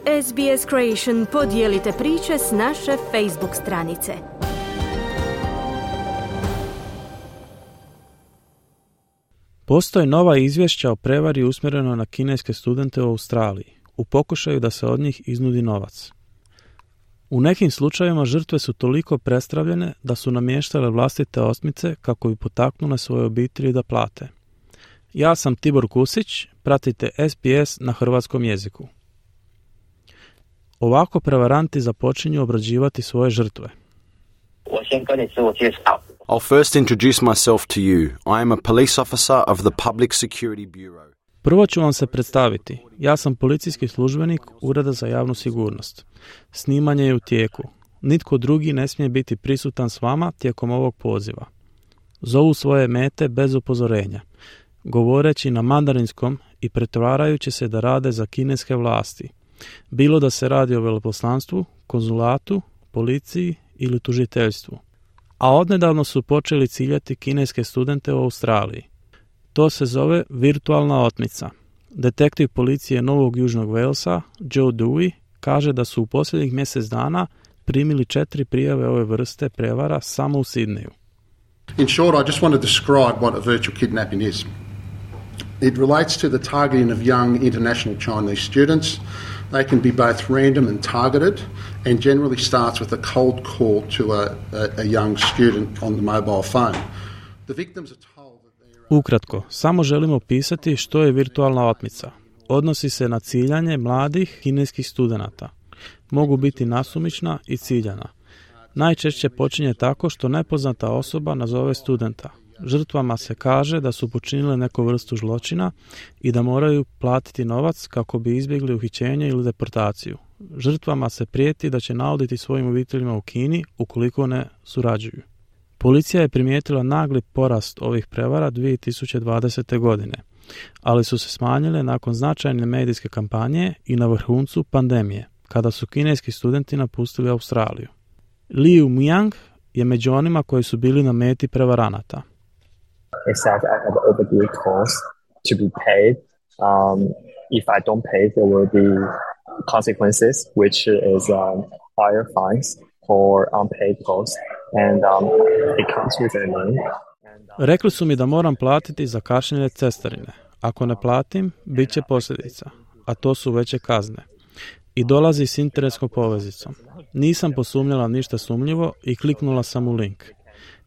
SBS Creation podijelite priče s naše Facebook stranice. Postoje nova izvješća o prevari usmjereno na kineske studente u Australiji, u pokušaju da se od njih iznudi novac. U nekim slučajevima žrtve su toliko prestravljene da su namještale vlastite osmice kako bi potaknule svoje obitelji da plate. Ja sam Tibor Kusić, pratite SBS na hrvatskom jeziku. Ovako prevaranti započinju obrađivati svoje žrtve. I'll first introduce myself to you. I am a police officer of the Public Security Bureau. Prvo ću vam se predstaviti. Ja sam policijski službenik Ureda za javnu sigurnost. Snimanje je u tijeku. Nitko drugi ne smije biti prisutan s vama tijekom ovog poziva. Zovu svoje mete bez upozorenja, govoreći na mandarinskom i pretvarajući se da rade za kineske vlasti. Bilo da se radi o veleposlanstvu, konzulatu, policiji ili tužiteljstvu. A odnedavno su počeli ciljati kineske studente u Australiji. To se zove virtualna otmica. Detektiv policije Novog Južnog Walesa, Joe Dewey, kaže da su u posljednjih mjesec dana primili 4 prijave ove vrste prevara samo u Sidneju. In short, I just want to describe what a virtual kidnapping is. It relates to the targeting of young international Chinese students. They can be both random and targeted, and generally starts with a cold call to a young student on the mobile phone. The victims are told that they are... Ukratko, samo želimo opisati što je virtualna otmica. Odnosi se na ciljanje mladih kineskih studenata. Mogu biti nasumična i ciljana. Najčešće počinje tako što nepoznata osoba nazove studenta. Žrtvama se kaže da su počinile neku vrstu zločina i da moraju platiti novac kako bi izbjegli uhićenje ili deportaciju. Žrtvama se prijeti da će nauditi svojim obiteljima u Kini ukoliko ne surađuju. Policija je primijetila nagli porast ovih prevara 2020. godine, ali su se smanjile nakon značajne medijske kampanje i na vrhuncu pandemije, kada su kineski studenti napustili Australiju. Liu Miang je među onima koji su bili na meti prevaranata. They said I have overdue costs to be paid. If I don't pay, there will be consequences, which is higher fines for unpaid costs, and it comes with a name. Rekli su mi da moram platiti za kašnjenje cestarine. Ako ne platim, bit će posljedica, a to su veće kazne. I dolazi s internetskom povezicom. Nisam posumnjala ništa sumnjivo i kliknula sam u link.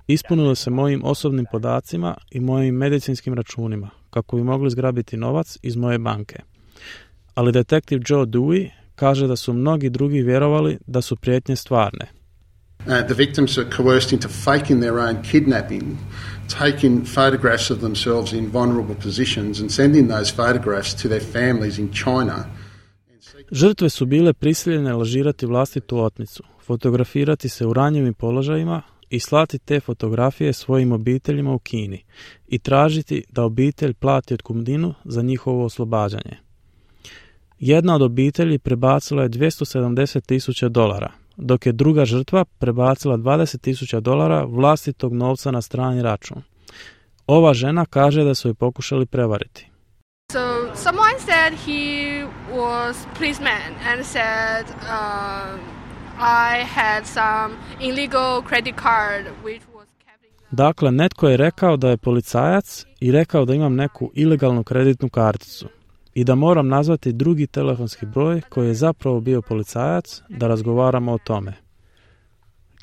Ispunilo se mojim osobnim podacima i mojim medicinskim računima, kako bi mogli zgrabiti novac iz moje banke. Ali detektiv Joe Dewey kaže da su mnogi drugi vjerovali da su prijetnje stvarne. The victims are coerced into faking their own kidnapping, taking photographs of themselves in vulnerable positions and sending those photographs to their families in China. Žrtve su bile prisiljene lažirati vlastitu otmicu, fotografirati se u ranjivim položajima i slati te fotografije svojim obiteljima u Kini i tražiti da obitelj plati otkupninu za njihovo oslobađanje. Jedna od obitelji prebacila je $270,000, dok je druga žrtva prebacila $20,000 vlastitog novca na strani račun. Ova žena kaže da su je pokušali prevariti. So someone said he was policeman and said I had some illegal credit card which was Dakle, netko je rekao da je policajac i rekao da imam neku ilegalnu kreditnu karticu i da moram nazvati drugi telefonski broj koji je zapravo bio policajac da razgovaramo o tome.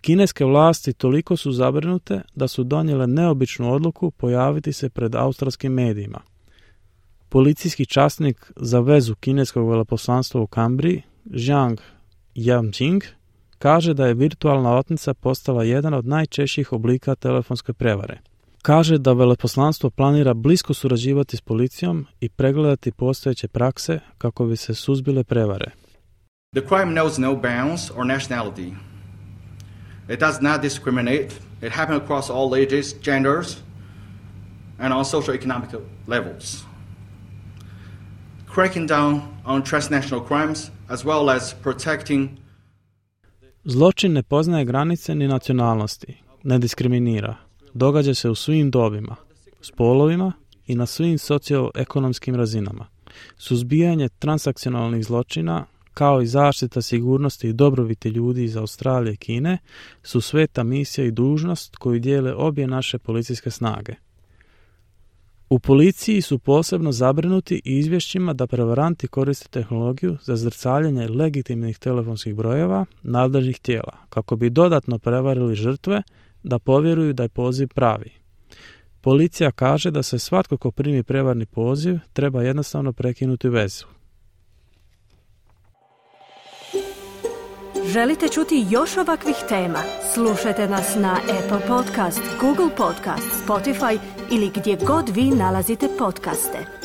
Kineske vlasti toliko su zabrinute da su donijele neobičnu odluku pojaviti se pred australskim medijima. Policijski časnik za vezu kineskog veleposlanstva u Kambriji, Zhang Yamjing, kaže da je virtualna otmica postala jedan od najčešćih oblika telefonske prevare. Kaže da veleposlanstvo planira blisko surađivati s policijom i pregledati postojeće prakse kako bi se suzbile prevare. The crime knows no bounds or nationality. It does not discriminate. It happens across all ages, genders, and on socio-economic levels. Cracking down on transnational crimes as well as protecting. Zločin ne poznaje granice ni nacionalnosti, ne diskriminira. Događa se u svim dobima, spolovima i na svim socioekonomskim razinama. Suzbijanje transakcionalnih zločina, kao i zaštita sigurnosti i dobrobiti ljudi iz Australije i Kine, su sveta misija i dužnost koju dijele obje naše policijske snage. U policiji su posebno zabrinuti izvješćima da prevaranti koriste tehnologiju za zrcaljenje legitimnih telefonskih brojeva nadležnih tijela, kako bi dodatno prevarili žrtve da povjeruju da je poziv pravi. Policija kaže da se svatko ko primi prevarni poziv treba jednostavno prekinuti vezu. Želite čuti još ovakvih tema? Slušajte nas na Apple Podcast, Google Podcast, Spotify ili gdje god vi nalazite podcaste.